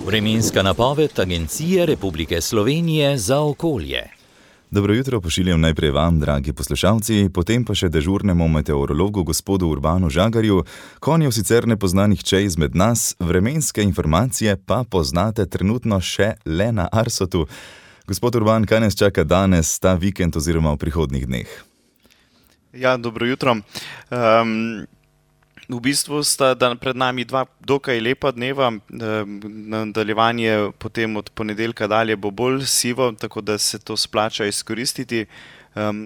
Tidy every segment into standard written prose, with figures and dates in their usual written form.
Vremenska napoved Agencije Republike Slovenije za okolje. Dobro jutro pošiljam najprej vam, dragi poslušalci, potem pa še dežurnemu meteorologu gospodu Urbanu Žagarju. Konjev sicer ne pozna nihče izmed nas, vremenske informacije pa poznate trenutno še le na Arsotu. Gospod Urban, kaj nas čaka danes, ta vikend oziroma v prihodnjih dneh? Ja, dobro jutro. V bistvu sta pred nami dva dokaj lepa dneva, nadaljevanje potem od ponedeljka dalje bo bolj sivo, tako da se to splača izkoristiti.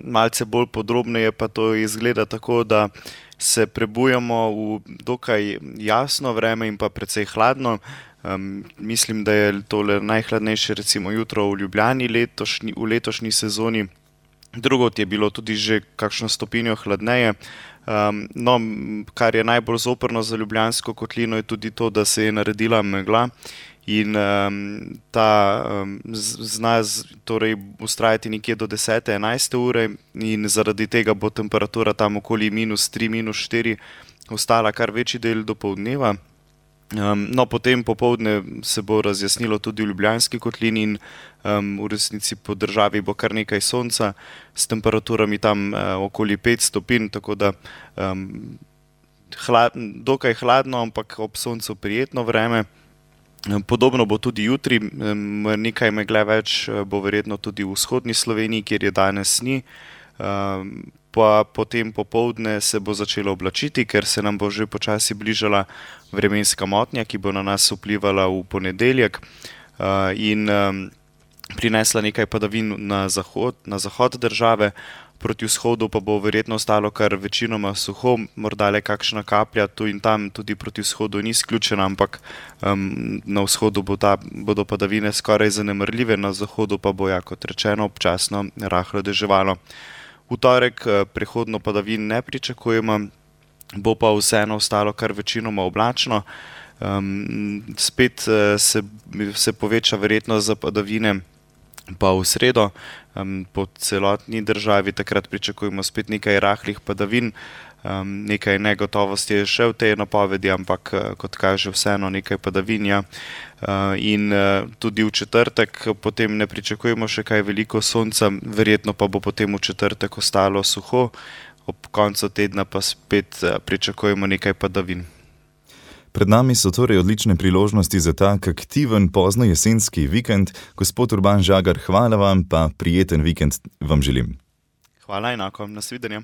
Malce bolj podrobneje pa to izgleda tako, da se prebujamo v dokaj jasno vreme in pa precej hladno. Mislim, da je tole najhladnejše recimo jutro v Ljubljani v letošnji sezoni. Drugod je bilo tudi že kakšno stopinjo hladneje. No, kar je najbolj zoprno za Ljubljansko kotlino je tudi to, da se je naredila megla in ta zna torej vztrajati nekje do 10-11 ure in zaradi tega bo temperatura tam okoli -3, -4 ostala kar večji del dopoldneva. No, potem popoldne se bo razjasnilo tudi v Ljubljanski kotlini in v resnici po državi bo kar nekaj sonca s temperaturami tam okoli 5 stopinj, tako da dokaj hladno, ampak ob soncu prijetno vreme. Podobno bo tudi jutri, nekaj megle več bo verjetno tudi v vzhodni Sloveniji, kjer je danes ni. Pa potem popoldne se bo začelo oblačiti, ker se nam bo že počasi bližala vremenska motnja, ki bo na nas vplivala v ponedeljek in prinesla nekaj padavin na zahod države, proti vzhodu pa bo verjetno ostalo kar večinoma suho, morda le kakšna kaplja tu in tam tudi proti vzhodu ni izključena, ampak na vzhodu bodo padavine skoraj zanemarljive, na zahodu pa bo, ja, kot rečeno, občasno rahlo deževalo. V torek prehodno padavin ne pričakujemo, bo pa vseeno ostalo kar večinoma oblačno. Spet se poveča verjetnost za padavine pa v sredo. Po celotni državi takrat pričakujemo spet nekaj rahlih padavin. Nekaj negotovosti je še v tej napovedi, ampak kot kaže vseeno nekaj padavin. In tudi v četrtek potem ne pričakujemo še kaj veliko sonca, verjetno pa bo potem v četrtek ostalo suho, ob koncu tedna pa spet pričakujemo nekaj padavin. Pred nami so torej odlične priložnosti za tak aktiven pozno jesenski vikend. Gospod Urban Žagar, hvala vam, pa prijeten vikend vam želim. Hvala enako, nasvidenje.